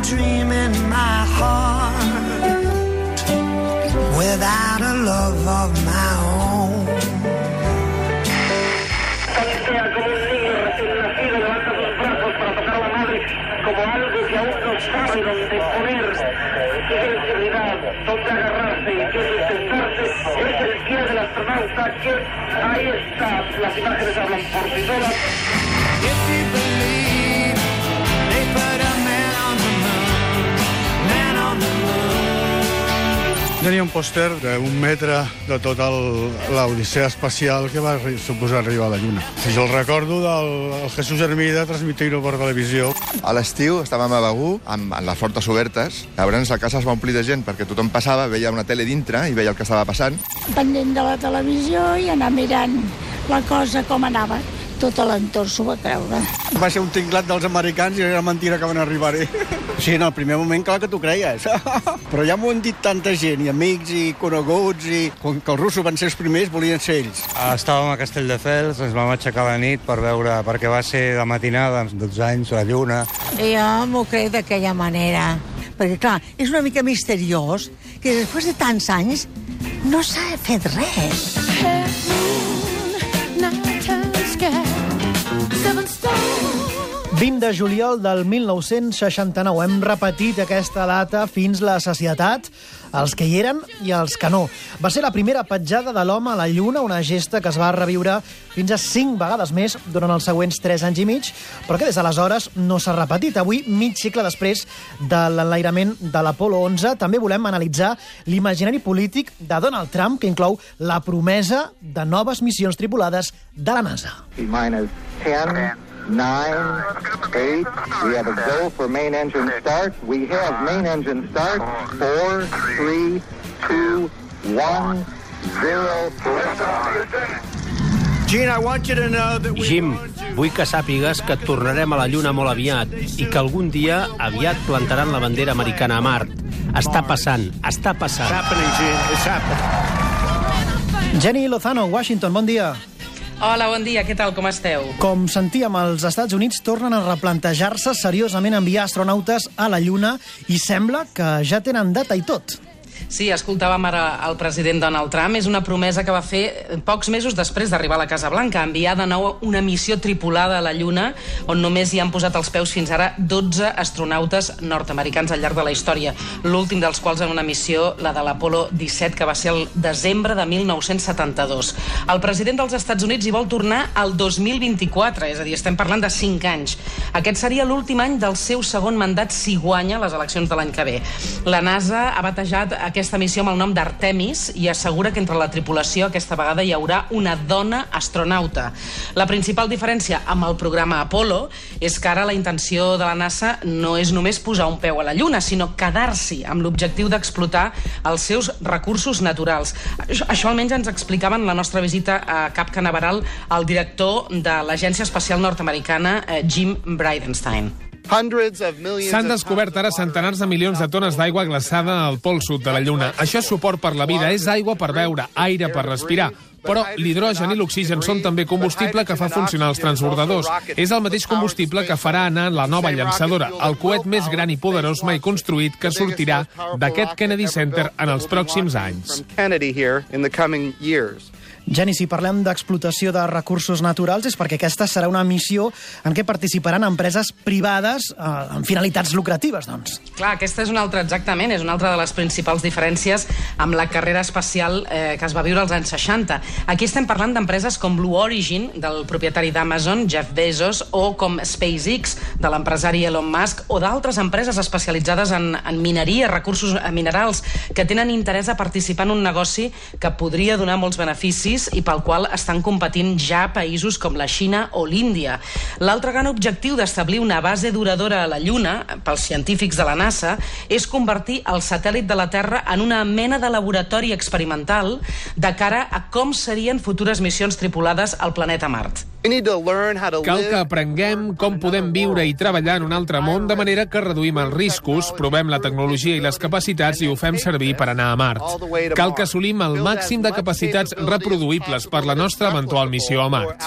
dream in my heart without a love of my own. Tantea como un niño recién nacido, levanta sus brazos para tocar a la madre como algo que aún no sabe dónde poner, qué sensibilidad, dónde agarrarse y qué sustentarse. Es el día del astronauta que ahí está, las imágenes hablan por sí solas. If you believe they put a man on the moon, man on the moon. Tenia un pòster d'un metre de tota l'odissea espacial que va suposar arribar a la Lluna. Si jo el recordo del Jesús Hermida transmitint-ho per televisió. A l'estiu estàvem a Begur amb les portes obertes. Llavors la casa es va omplir de gent perquè tothom passava, veia una tele dintre i veia el que estava passant. Pendent de la televisió i anar mirant la cosa com anava. Tot l'entorn s'ho va creure. Va ser un tinglat dels americans i era mentira que van arribar-hi. Sí, en el primer moment, clar que t'ho creies. Però ja m'ho han dit tanta gent, i amics, i coneguts, i com que els russos van ser els primers, volien ser ells. Estàvem a Castelldefels, ens vam aixecar a la nit per veure, perquè va ser de matinada, amb 12 anys, la lluna. Jo m'ho crec d'aquella manera. Perquè, clar, és una mica misteriós que després de tants anys no s'ha fet res. 20 de juliol del 1969. Hem repetit aquesta data fins la sacietat, els que hi eren i els que no. Va ser la primera petjada de l'home a la Lluna, una gesta que es va reviure fins a 5 vegades més durant els següents 3 anys i mig, però que des d'aleshores no s'ha repetit. Avui, mig segle després de l'enlairament de l'Apolo 11, també volem analitzar l'imaginari polític de Donald Trump, que inclou la promesa de noves missions tripulades de la NASA. 10, 9, 8, we have a go for main engine start. We have main engine start. 4, 3, 2, 1, 0. Jim, vull que sàpigues que tornarem a la Lluna molt aviat i que algun dia aviat plantaran la bandera americana a Mart. Està passant, està passant. Jenny Lozano, Washington, bon dia. Hola, bon dia, què tal, com esteu? Com sentíem, els Estats Units tornen a replantejar-se seriosament enviar astronautes a la Lluna i sembla que ja tenen data i tot. Sí, escoltàvem ara el president Donald Trump. És una promesa que va fer pocs mesos després d'arribar a la Casa Blanca, enviar de nou una missió tripulada a la Lluna, on només hi han posat els peus fins ara 12 astronautes nord-americans al llarg de la història. L'últim dels quals en una missió, la de l'Apolo 17, que va ser el desembre de 1972. El president dels Estats Units hi vol tornar al 2024, és a dir, estem parlant de 5 anys. Aquest seria l'últim any del seu segon mandat si guanya les eleccions de l'any que ve. La NASA ha batejat aquesta missió amb el nom d'Artemis i assegura que entre la tripulació aquesta vegada hi haurà una dona astronauta. La principal diferència amb el programa Apollo és que ara la intenció de la NASA no és només posar un peu a la Lluna, sinó quedar-s'hi amb l'objectiu d'explotar els seus recursos naturals. Això almenys ens explicaven en la nostra visita a Cap Canaveral el director de l'Agència Espacial Nord-Americana, Jim Bridenstine. S'han descobert ara centenars de milions de tones d'aigua glaçada al pol sud de la Lluna. Això és suport per la vida, és aigua per beure, aire per respirar. Però l'hidrogen i l'oxigen són també combustible que fa funcionar els transbordadors. És el mateix combustible que farà anar la nova llançadora, el coet més gran i poderós mai construït que sortirà d'aquest Kennedy Center en els pròxims anys. Jenny, si parlem d'explotació de recursos naturals és perquè aquesta serà una missió en què participaran empreses privades amb finalitats lucratives, doncs. Clar, aquesta és una altra, exactament, és una altra de les principals diferències amb la carrera espacial que es va viure als anys 60. Aquí estem parlant d'empreses com Blue Origin, del propietari d'Amazon, Jeff Bezos, o com SpaceX, de l'empresari Elon Musk, o d'altres empreses especialitzades en mineria, recursos minerals, que tenen interès a participar en un negoci que podria donar molts beneficis i pel qual estan competint ja països com la Xina o l'Índia. L'altre gran objectiu d'establir una base duradora a la Lluna, pels científics de la NASA, és convertir el satèl·lit de la Terra en una mena de laboratori experimental de cara a com serien futures missions tripulades al planeta Mart. Cal que aprenguem com podem viure i treballar en un altre món de manera que reduïm els riscos, provem la tecnologia i les capacitats i ho fem servir per anar a Mart. Cal que assolim el màxim de capacitats reproduïbles per la nostra eventual missió a Mart.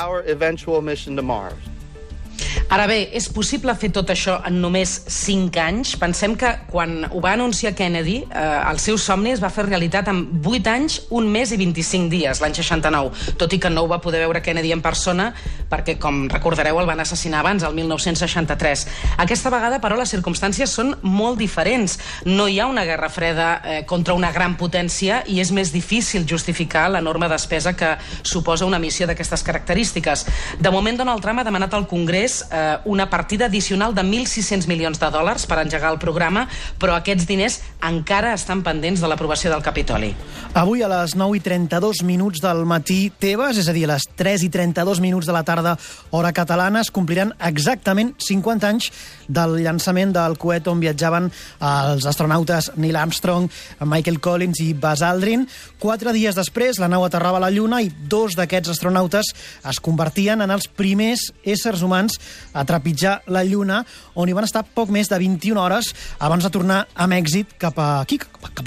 Ara bé, és possible fer tot això en només 5 anys? Pensem que quan ho va anunciar Kennedy, el seu somni es va fer realitat en 8 anys, 1 mes i 25 dies, l'any 69, tot i que no ho va poder veure Kennedy en persona, perquè, com recordareu, el van assassinar abans, el 1963. Aquesta vegada, però, les circumstàncies són molt diferents. No hi ha una guerra freda contra una gran potència i és més difícil justificar l'enorme despesa que suposa una missió d'aquestes característiques. De moment, Donald Trump ha demanat al Congrés una partida addicional de 1.600 milions de dòlars per engegar el programa, però aquests diners encara estan pendents de l'aprovació del Capitoli. Avui a les 9:32 del matí teves, és a dir, a les 3:32 de la tarda, hora catalana, es compliran exactament 50 anys del llançament del coet on viatjaven els astronautes Neil Armstrong, Michael Collins i Buzz Aldrin. 4 dies després, la nau aterrava a la Lluna i 2 d'aquests astronautes es convertien en els primers éssers humans a trepitjar la Lluna, on hi van estar poc més de 21 hores abans de tornar amb èxit cap a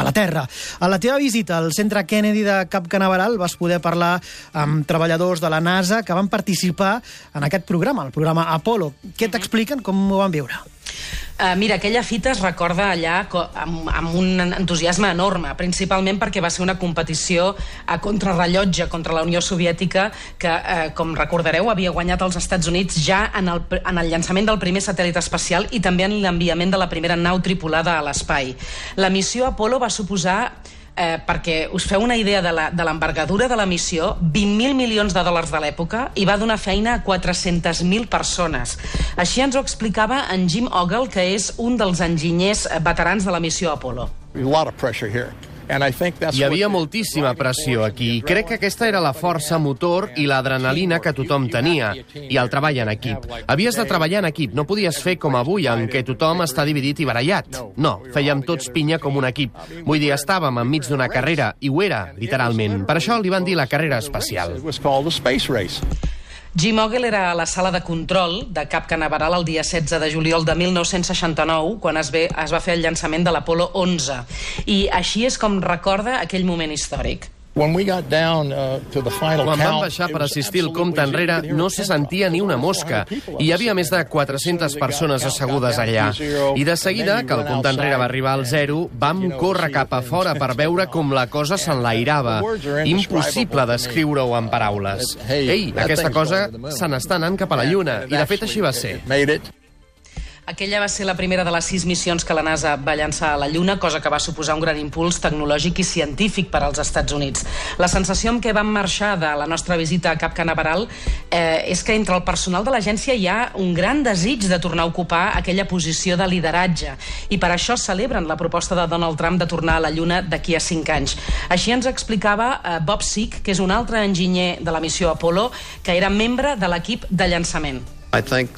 la Terra. A la teva visita al Centre Kennedy de Cap Canaveral vas poder parlar amb treballadors de la NASA que van participar en aquest programa, el programa Apollo. Què t'expliquen? Com ho van viure? Mira, aquella fita es recorda allà amb un entusiasme enorme, principalment perquè va ser una competició a contrarrellotge contra la Unió Soviètica que, com recordareu, havia guanyat als Estats Units ja en el llançament del primer satèl·lit espacial i també en l'enviament de la primera nau tripulada a l'espai. La missió Apollo va suposar, perquè us feu una idea de l'envergadura de la missió, 20.000 milions de dòlars de l'època i va donar feina a 400.000 persones. Així ens ho explicava en Jim Ogle, que és un dels enginyers veterans de la missió Apollo. Hi havia moltíssima pressió aquí i crec que aquesta era la força motor i l'adrenalina que tothom tenia, i el treball en equip. Havies de treballar en equip, no podies fer com avui, en què tothom està dividit i barallat. No, fèiem tots pinya com un equip. Vull dir, estàvem enmig d'una carrera, i ho era, literalment. Per això li van dir la carrera espacial. Jim Ogle era a la sala de control de Cap Canaveral el dia 16 de juliol de 1969, quan es va fer el llançament de l'Apollo 11. I així és com recorda aquell moment històric. Quan vam baixar per assistir el compte enrere, no se sentia ni una mosca. I hi havia més de 400 persones assegudes allà. I de seguida, que el compte enrere va arribar al 0, vam córrer cap a fora per veure com la cosa s'enlairava. Impossible descriure-ho en paraules. Ei, aquesta cosa se n'està anant cap a la Lluna. I de fet així va ser. Aquella va ser la primera de les 6 missions que la NASA va llançar a la Lluna, cosa que va suposar un gran impuls tecnològic i científic per als Estats Units. La sensació amb què vam marxar de la nostra visita a Cap Canaveral és que entre el personal de l'agència hi ha un gran desig de tornar a ocupar aquella posició de lideratge, i per això celebren la proposta de Donald Trump de tornar a la Lluna d'aquí a 5 anys. Així ens explicava Bob Sick, que és un altre enginyer de la missió Apollo, que era membre de l'equip de llançament. Crec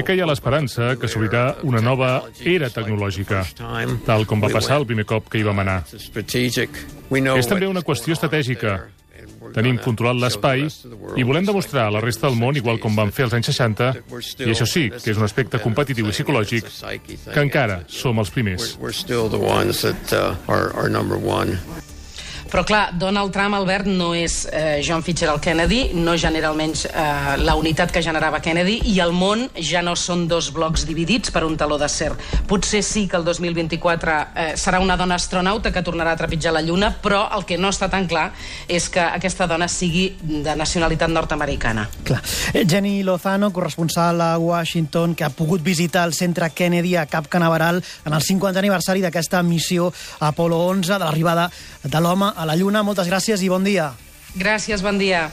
que hi ha l'esperança que s'obrirà una nova era tecnològica, tal com va passar el primer cop que hi vam anar. És també una qüestió estratègica. Tenim controlat l'espai i volem demostrar a la resta del món, igual com vam fer als anys 60, i això sí, que és un aspecte competitiu i psicològic, que encara som els primers. Però clar, Donald Trump, Albert, no és John Fitzgerald Kennedy, no genera almenys la unitat que generava Kennedy, i el món ja no són 2 blocs dividits per un taló d'acer. Potser sí que el 2024 serà una dona astronauta que tornarà a trepitjar la Lluna, però el que no està tan clar és que aquesta dona sigui de nacionalitat nord-americana. Clar. Jenny Lozano, corresponsal a Washington, que ha pogut visitar el Centre Kennedy a Cap Canaveral en el 50 aniversari d'aquesta missió Apollo 11, de l'arribada de l'home a la Lluna. Moltes gràcies i bon dia. Gràcies, bon dia.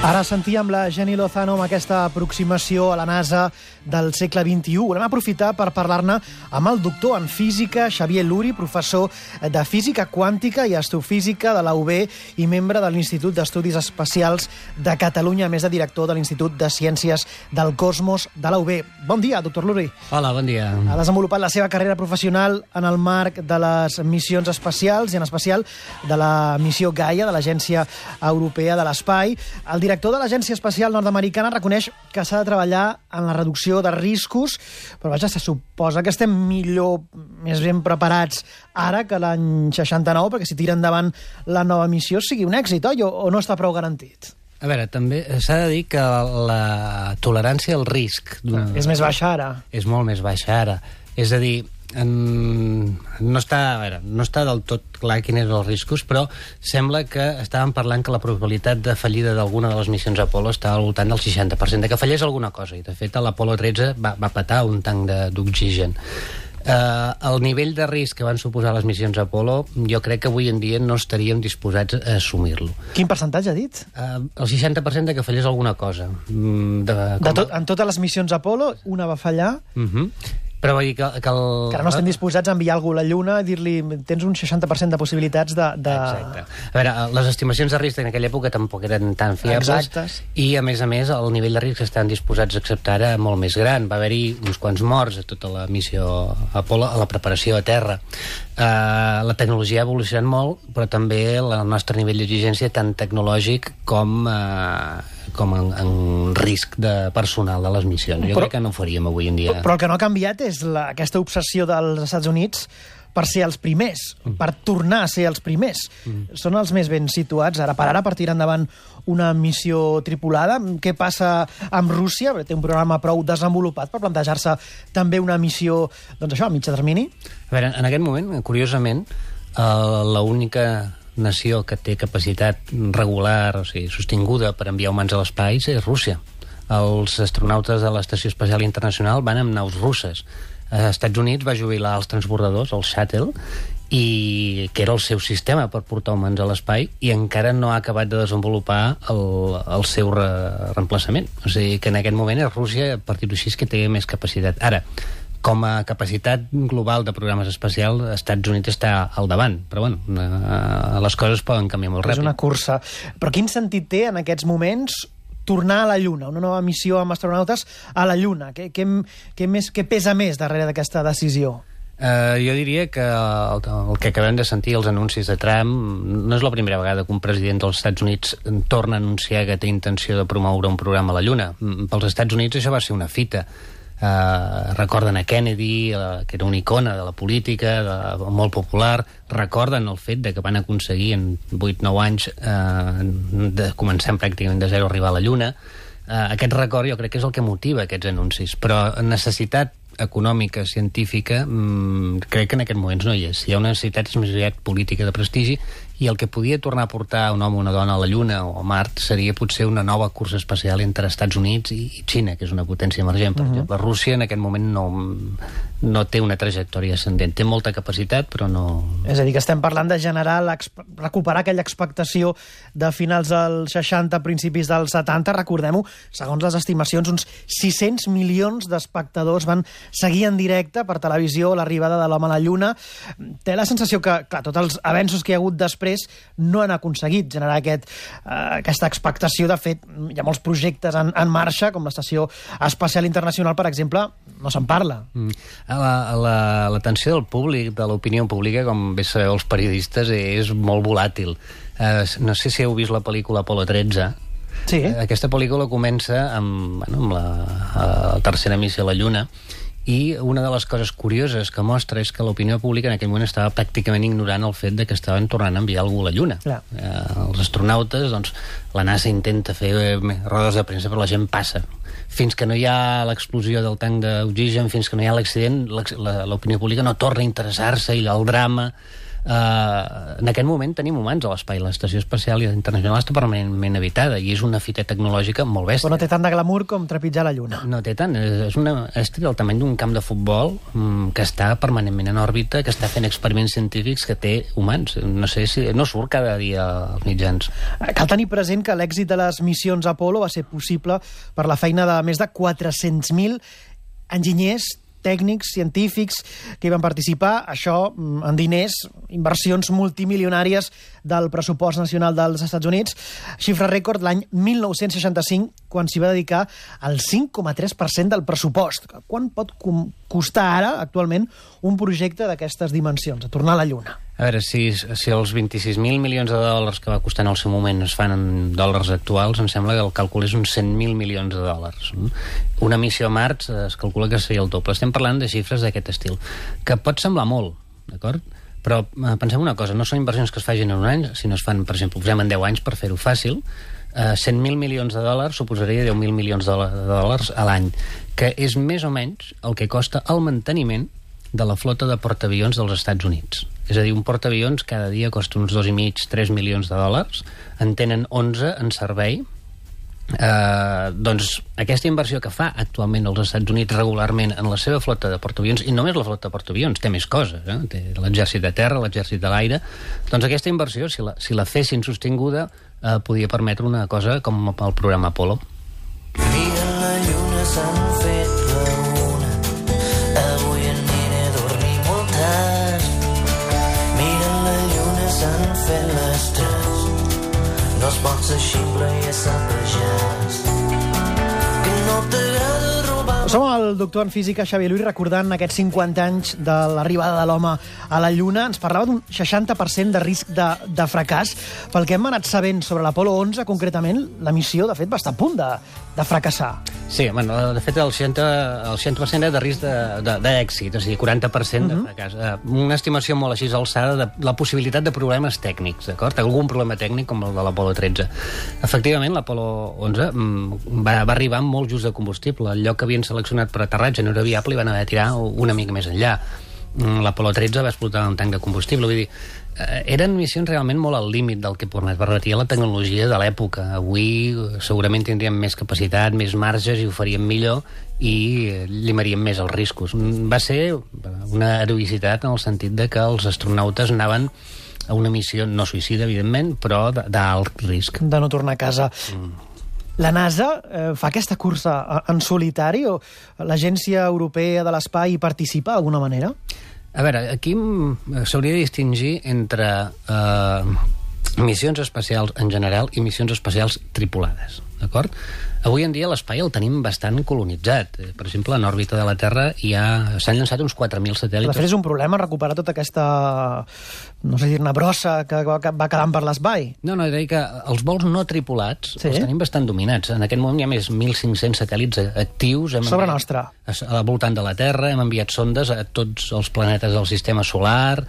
Ara sentíem la Jenny Lozano amb aquesta aproximació a la NASA del segle XXI. Volem aprofitar per parlar-ne amb el doctor en física, Xavier Luri, professor de física quàntica i astrofísica de la UB i membre de l'Institut d'Estudis Espacials de Catalunya, a més de director de l'Institut de Ciències del Cosmos de la UB. Bon dia, doctor Luri. Hola, bon dia. Ha desenvolupat la seva carrera professional en el marc de les missions espacials i en especial de la missió Gaia de l'Agència Europea de l'Espai. El director de l'Agència Espacial Nord-Americana reconeix que s'ha de treballar en la reducció de riscos, però vaja, se suposa que estem millor, més ben preparats ara que l'any 69, perquè si tira endavant la nova missió sigui un èxit, oi? O no està prou garantit? A veure, també s'ha de dir que la tolerància al risc... És més baixa ara. És molt més baixa ara. És a dir, no està del tot clar quins eren els riscos, però sembla que estàvem parlant que la probabilitat de fallida d'alguna de les missions Apollo estava al voltant del 60%, de que fallés alguna cosa, i de fet a l'Apollo 13 va petar un tanc d'oxigen. El nivell de risc que van suposar les missions Apollo, jo crec que avui en dia no estaríem disposats a assumir-lo. Quin percentatge ha dit? El 60% de que fallés alguna cosa. En totes les missions Apollo, una va fallar... Però vull dir que ara no estem disposats a enviar algú a la Lluna i dir-li tens un 60% de possibilitats de... Exacte. A veure, les estimacions de risc en aquella època tampoc eren tan fiables. Exactes. I, a més, el nivell de risc que estan disposats a acceptar era molt més gran. Va haver-hi uns quants morts a tota la missió Apollo, a la preparació a terra. La tecnologia ha evolucionat molt, però també el nostre nivell d'exigència, tant tecnològic com en risc de personal de les missions. Jo crec que no ho faríem avui en dia. Però el que no ha canviat és aquesta obsessió dels Estats Units per ser els primers, per tornar a ser els primers. Són els més ben situats ara per tirar endavant una missió tripulada. Què passa amb Rússia? Té un programa prou desenvolupat per plantejar-se també una missió, doncs això, a mitjà termini? A veure, en aquest moment, curiosament, l'única nació que té capacitat regular, o sigui, sostinguda per enviar humans a l'espai és Rússia. Els astronautes de l'Estació Espacial Internacional van amb naus russes. Als Estats Units va jubilar els transbordadors, el Shuttle, que era el seu sistema per portar humans a l'espai, i encara no ha acabat de desenvolupar el seu reemplaçament. O sigui que en aquest moment és Rússia, per dir-ho així, que té més capacitat. Ara, com a capacitat global de programes espacials, els Estats Units està al davant, però bueno, les coses poden canviar molt ràpid. És una cursa. Però quin sentit té en aquests moments tornar a la Lluna, una nova missió amb astronautes a la Lluna? Què pesa més darrere d'aquesta decisió? Jo diria que el que acabem de sentir, els anuncis de Trump, no és la primera vegada que un president dels Estats Units torna a anunciar que té intenció de promoure un programa a la Lluna. Pels Estats Units això va ser una fita. Recorden a Kennedy, que era una icona de la política, molt popular. Recorden el fet de que van aconseguir en 8-9 anys de començar pràcticament de zero a arribar a la Lluna. Aquest record jo crec que és el que motiva aquests anuncis, però necessitat econòmica, científica, crec que en aquests moments no hi és. Hi ha una necessitat més aviat política de prestigi, i el que podia tornar a portar un home o una dona a la Lluna o a Mart seria potser una nova cursa espacial entre Estats Units i Xina, que és una potència emergent. Per exemple, Rússia en aquest moment no té una trajectòria ascendent. Té molta capacitat, però no... És a dir, que estem parlant de recuperar aquella expectació de finals dels 60, principis dels 70. Recordem-ho, segons les estimacions, uns 600 milions d'espectadors van seguir en directe per televisió l'arribada de l'home a la Lluna. Té la sensació que, clar, tots els avenços que hi ha hagut després no han aconseguit generar aquesta expectació. De fet, hi ha molts projectes en marxa, com l'Estació Espacial Internacional, per exemple, no se'n parla. L'atenció del públic, de l'opinió pública, com bé sabeu els periodistes, és molt volàtil. No sé si heu vist la pel·lícula Apollo 13. Sí. Aquesta pel·lícula comença amb la tercera missió a la Lluna, i una de les coses curioses que mostra és que l'opinió pública en aquell moment estava pràcticament ignorant el fet de que estaven tornant a enviar algú a la Lluna. Els astronautes, doncs, la NASA intenta fer rodes de premsa, però la gent passa. Fins que no hi ha l'explosió del tanc d'oxigen, fins que no hi ha l'accident, l'opinió pública no torna a interessar-se, i el drama En aquest moment tenim humans a l'espai. L'Estació Espacial Internacional està permanentment habitada i és una fita tecnològica molt bèstia. Però no té tant de glamour com trepitjar la Lluna. No té tant. És del tamany d'un camp de futbol que està permanentment en òrbita, que està fent experiments científics que té humans. No sé si no surt cada dia als mitjans. Cal tenir present que l'èxit de les missions Apollo va ser possible per la feina de més de 400.000 enginyers, tècnics, científics que hi van participar, això en diners, inversions multimilionàries del pressupost nacional dels Estats Units, xifra rècord l'any 1965, quan s'hi va dedicar el 5,3% del pressupost. Quan pot costar ara, actualment, un projecte d'aquestes dimensions, a tornar a la Lluna? A veure, si els 26.000 milions de dòlars que va costar en el seu moment es fan en dòlars actuals, em sembla que el càlcul és uns 100.000 milions de dòlars. Una missió a Mart es calcula que seria el doble. Estem parlant de xifres d'aquest estil, que pot semblar molt, d'acord? Però pensem una cosa, no són inversions que es facin en un any, sinó es fan, per exemple, posem en 10 anys per fer-ho fàcil, 100.000 milions de dòlars suposaria 10.000 milions de dòlars a l'any, que és més o menys el que costa el manteniment de la flota de portaavions dels Estats Units. És a dir, un portaavions cada dia costa uns 2,5-3 milions de dòlars, en tenen 11 en servei. Doncs aquesta inversió que fa actualment els Estats Units regularment en la seva flota de portaavions, i només la flota de portaavions, té més coses, té l'exèrcit de terra, l'exèrcit de l'aire, doncs aquesta inversió, si la fessin sostinguda, podia permetre una cosa com el programa Apollo. Mira la lluna, s'han fet la una, avui aniré a dormir molt tard. Mira la lluna, s'han fet les 3, no es pot ser ximple i ésser pagès, que no t'agrada robar. Som el doctor en física Xavier Luis recordant aquests 50 anys de l'arribada de l'home a la Lluna. Ens parlava d'un 60% de risc de fracàs. Pel que hem anat sabent sobre l'Apolo 11, concretament, la missió, de fet, va estar a punt de fracassar. Sí, bueno, de fet, el 60% de risc d'èxit, és a dir, 40% de fracàs. Una estimació molt així alçada de la possibilitat de problemes tècnics, d'acord? Algun problema tècnic com el de l'Apolo 13. Efectivament, l'Apolo 11 va arribar amb molt just de combustible. El lloc que havien seleccionat per aterratge no era viable i van haver de tirar una mica més enllà. L'Apolo 13 va explotar un tanc de combustible. Vull dir, eren missions realment molt al límit del que permetia la tecnologia de l'època. Avui segurament tindríem més capacitat, més marges i ho faríem millor i llimaríem més els riscos. Va ser una heroïcitat en el sentit de que els astronautes anaven a una missió no suïcida, evidentment, però d'alt risc. De no tornar a casa. La NASA fa aquesta cursa en solitari o l'Agència Europea de l'Espai hi participa d'alguna manera? A veure, aquí s'hauria de distingir entre missions espacials en general i missions espacials tripulades, d'acord? Avui en dia l'espai el tenim bastant colonitzat. Per exemple, en òrbita de la Terra s'han llançat uns 4.000 satèl·lits. De fet, és un problema recuperar tota aquesta, no sé dir-ne, brossa que va quedant per l'espai. No, he de dir que els vols no tripulats els tenim bastant dominats. En aquest moment hi ha més 1.500 satèl·lits actius. Sobre nostra. Al voltant de la Terra, hem enviat sondes a tots els planetes del sistema solar.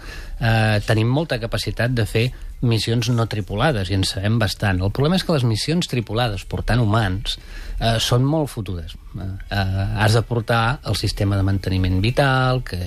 Tenim molta capacitat de fer missions no tripulades, i en sabem bastant. El problema és que les missions tripulades, portant humans, són molt fotudes. Has de portar el sistema de manteniment vital, que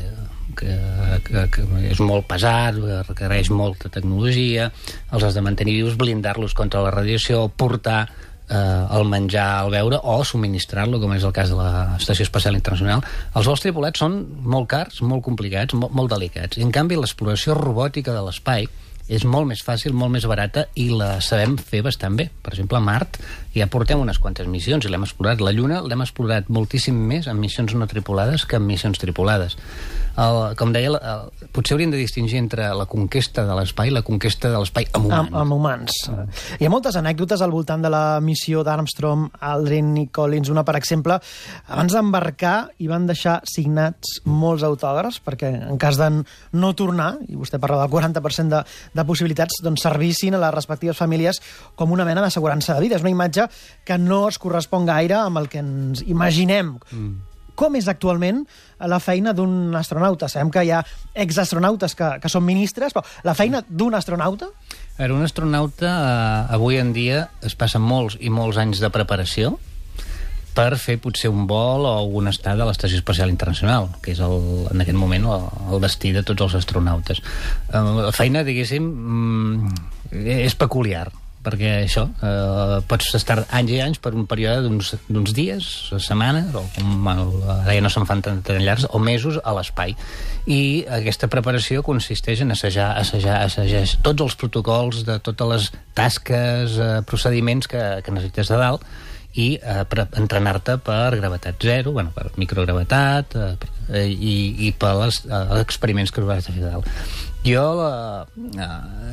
és molt pesat, requereix molta tecnologia, els has de mantenir vius, blindar-los contra la radiació, portar el menjar, el beure, o subministrar-lo, com és el cas de l'Estació Espacial Internacional. Els vols tripulats són molt cars, molt complicats, molt delicats. I, en canvi, l'exploració robòtica de l'espai és molt més fàcil, molt més barata i la sabem fer bastant bé. Per exemple, a Mart ja portem unes quantes missions i l'hem explorat. La Lluna l'hem explorat moltíssim més en missions no tripulades que en missions tripulades. Com deia, potser hauríem de distingir entre la conquesta de l'espai i la conquesta de l'espai amb humans. Amb humans. Hi ha moltes anècdotes al voltant de la missió d'Armstrong, Aldrin i Collins. Una, per exemple, abans d'embarcar hi van deixar signats molts autògrafs perquè en cas de no tornar, i vostè parla del 40% de possibilitats, doncs servissin a les respectives famílies com una mena d'assegurança de vida. És una imatge que no es correspon gaire amb el que ens imaginem. Com és actualment la feina d'un astronauta? Sabem que hi ha exastronautes que són ministres, però la feina d'un astronauta? Un astronauta avui en dia es passa molts i molts anys de preparació per fer potser un vol o un estat a l'Estació Espacial Internacional, que és en aquest moment el destí de tots els astronautes. La feina, diguéssim, és peculiar, perquè això, pots estar anys i anys per un període d'uns dies, setmanes, o ara ja no se'n fan tan llargs, o mesos a l'espai. I aquesta preparació consisteix en assajar tots els protocols de totes les tasques, procediments que necessites de dalt, i entrenar-te per gravetat zero, per microgravetat, i per els experiments que us vas fer de dalt. Jo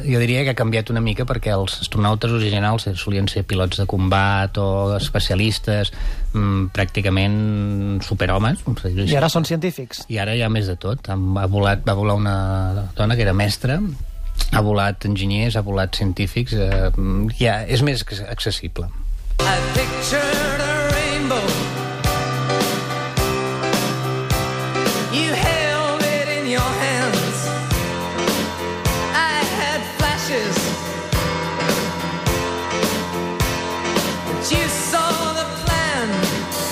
diria que ha canviat una mica, perquè els astronautes originals solien ser pilots de combat o especialistes, pràcticament superhomes. I ara són científics. I ara hi ha més de tot. Va volar una dona que era mestra, ha volat enginyers, ha volat científics, és més accessible. I pictured a rainbow. You held it in your hands. I had flashes. But you saw the plan.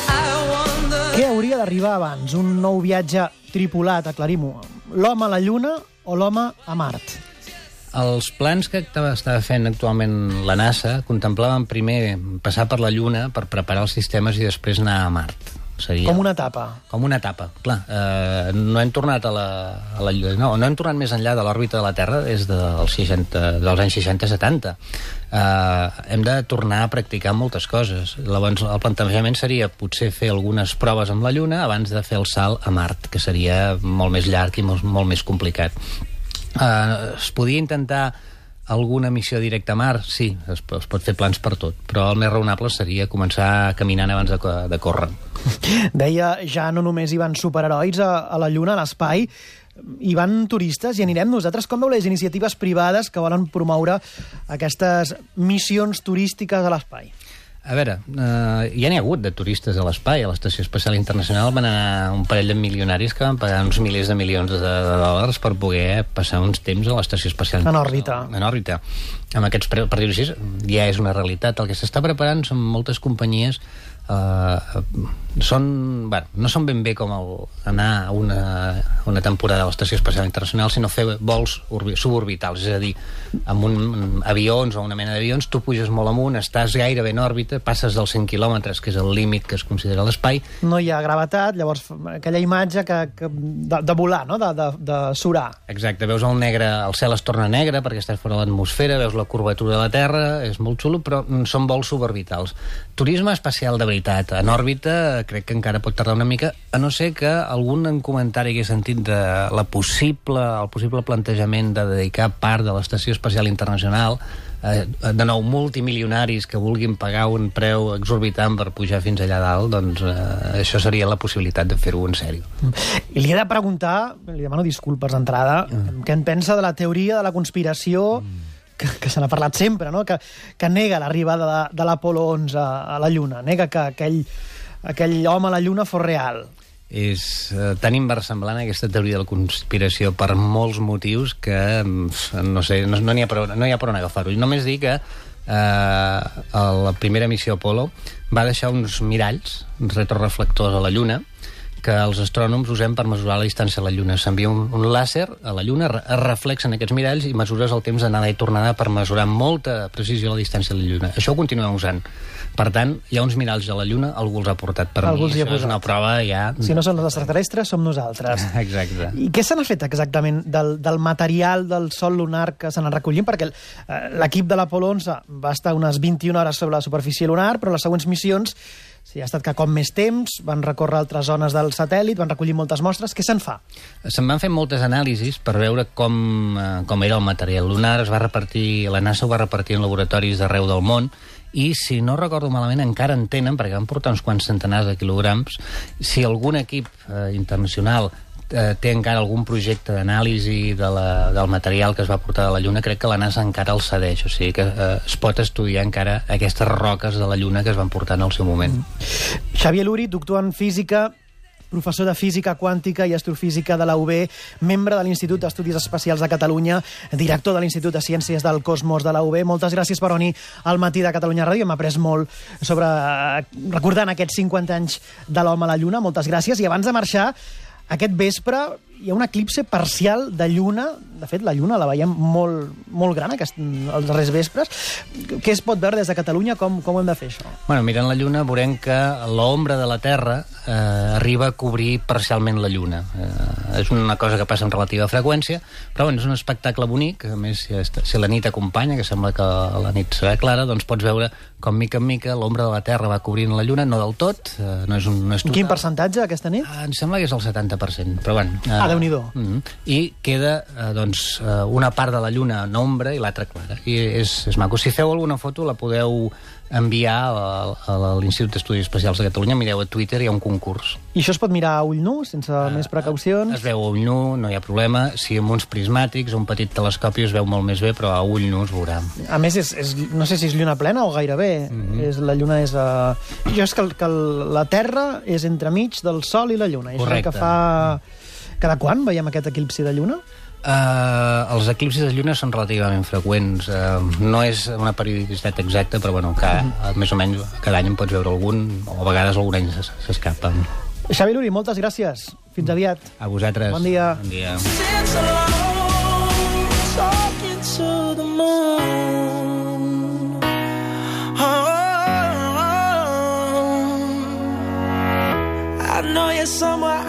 I wonder. Què hauria d'arribar abans? Un nou viatge tripulat, aclarim-ho. L'home a la Lluna o l'home a Mart? Els plans que estava fent actualment la NASA contemplaven primer passar per la Lluna per preparar els sistemes i després anar a Mart. Com una etapa. Com una etapa, clar. No hem tornat a la Lluna, no hem tornat més enllà de l'òrbita de la Terra des dels anys 60-70. Hem de tornar a practicar moltes coses. Llavors, el plantejament seria potser fer algunes proves amb la Lluna abans de fer el salt a Mart, que seria molt més llarg i molt més complicat. Es podia intentar alguna missió directa a Mart? Sí, es pot fer plans per tot, però el més raonable seria començar caminant abans de córrer. Deia, ja no només hi van superherois a la Lluna, a l'espai, hi van turistes i anirem nosaltres. Com veu les iniciatives privades que volen promoure aquestes missions turístiques a l'espai? A veure, ja n'hi ha hagut de turistes a l'espai. A l'Estació Espacial Internacional van anar un parell de milionaris que van pagar uns milers de milions de dòlars per poder passar uns temps a l'Estació Espacial Internacional. En òrbita. Amb aquests preus, per dir-ho així, ja és una realitat. El que s'està preparant són moltes companyies no són ben bé com anar a una temporada a l'Estació Espacial Internacional, sinó fer vols suborbitals, és a dir, amb avions o una mena d'avions, tu puges molt amunt, estàs gairebé en òrbita, passes dels 100 quilòmetres, que és el límit que es considera l'espai. No hi ha gravetat, llavors aquella imatge de volar, no? De surar. Exacte, veus el negre, el cel es torna negre perquè estàs fora de l'atmosfera, veus la curvatura de la Terra, és molt xulo, però són vols suborbitals. Turisme espacial de veritat, en òrbita, crec que encara pot tardar una mica, a no ser que algun comentari que he sentit de el possible plantejament de dedicar part de l'Estació Espacial Internacional, de nou multimilionaris que vulguin pagar un preu exorbitant per pujar fins allà dalt, doncs això seria la possibilitat de fer-ho en sèrio. I li he de preguntar, li demano disculpes d'entrada, què en pensa de la teoria de la conspiració que se n'ha parlat sempre, no? Que nega l'arribada de l'Apolo 11 a la Lluna, nega que aquell home a la Lluna fos real. És tan inversemblant aquesta teoria de la conspiració per molts motius que no sé, no hi ha per on agafar-ho. Només dir que la primera missió Apolo va deixar uns miralls, uns retroreflectors a la Lluna, que els astrònoms usem per mesurar la distància a la Lluna. S'envia un làser a la Lluna, es reflexen aquests miralls i mesures el temps d'anada i tornada per mesurar amb molta precisió la distància a la Lluna. Això ho continuem usant. Per tant, hi ha uns miralls a la Lluna, algú els ha portat per mi. Això és una prova ja... Si no són els extraterrestres, som nosaltres. Exacte. I què se n'ha fet exactament del material del sòl lunar que se n'ha recollit? Perquè l'equip de l'Apolo 11 va estar unes 21 hores sobre la superfície lunar, però les següents missions ha estat que com més temps, van recórrer altres zones del satèl·lit, van recollir moltes mostres. Què se'n fa? Se'n van fer moltes anàlisis per veure com era el material lunar. La NASA ho va repartir en laboratoris d'arreu del món, i si no recordo malament encara en tenen, perquè van portar uns quants centenars de quilograms. Si algun equip internacional té encara algun projecte d'anàlisi del material que es va portar de la Lluna, crec que la NASA encara el cedeix, o sigui que es pot estudiar encara aquestes roques de la Lluna que es van portar en el seu moment. Xavier Luri, doctor en física, professor de Física Quàntica i Astrofísica de la UB, membre de l'Institut d'Estudis Espacials de Catalunya, director de l'Institut de Ciències del Cosmos de la UB. Moltes gràcies per venir al Matí de Catalunya Ràdio. Hem après molt sobre recordant aquests 50 anys de l'home a la Lluna. Moltes gràcies. I abans de marxar, aquest vespre hi ha un eclipse parcial de lluna. De fet, la lluna la veiem molt gran els darrers vespres. Què es pot veure des de Catalunya? Com ho hem de fer, això? Bueno, mirant la lluna veurem que l'ombra de la Terra arriba a cobrir parcialment la lluna. És una cosa que passa amb relativa freqüència, però bueno, és un espectacle bonic. A més, si la nit acompanya, que sembla que la nit serà clara, doncs pots veure com mica en mica l'ombra de la Terra va cobrint la lluna, no del tot, no és total. Quin percentatge aquesta nit? Em sembla que és el 70%, però bueno. Déu-n'hi-do. I queda, doncs, una part de la lluna en ombra i l'altra clara. I és maco. Si feu alguna foto la podeu enviar a l'Institut d'Estudis Espacials de Catalunya. Mireu a Twitter, hi ha un concurs. I això es pot mirar a ull nu, sense més precaucions? Es veu a ull nu, no hi ha problema. Si amb uns prismàtics o un petit telescopi es veu molt més bé, però a ull nu es veurà. A més, no sé si és lluna plena o gairebé. La lluna és... Jo és que la Terra és entremig del Sol i la Lluna. Correcte. És el que fa... Cada quan veiem aquest eclipsi de lluna? Els eclipsis de lluna són relativament freqüents. No és una periodicitat exacta, però bueno, més o menys cada any en pots veure algun, o a vegades algun any s'escapa. Xavi Luri, moltes gràcies. Fins aviat. A vosaltres. Bon dia. Bon dia. I know you're somewhere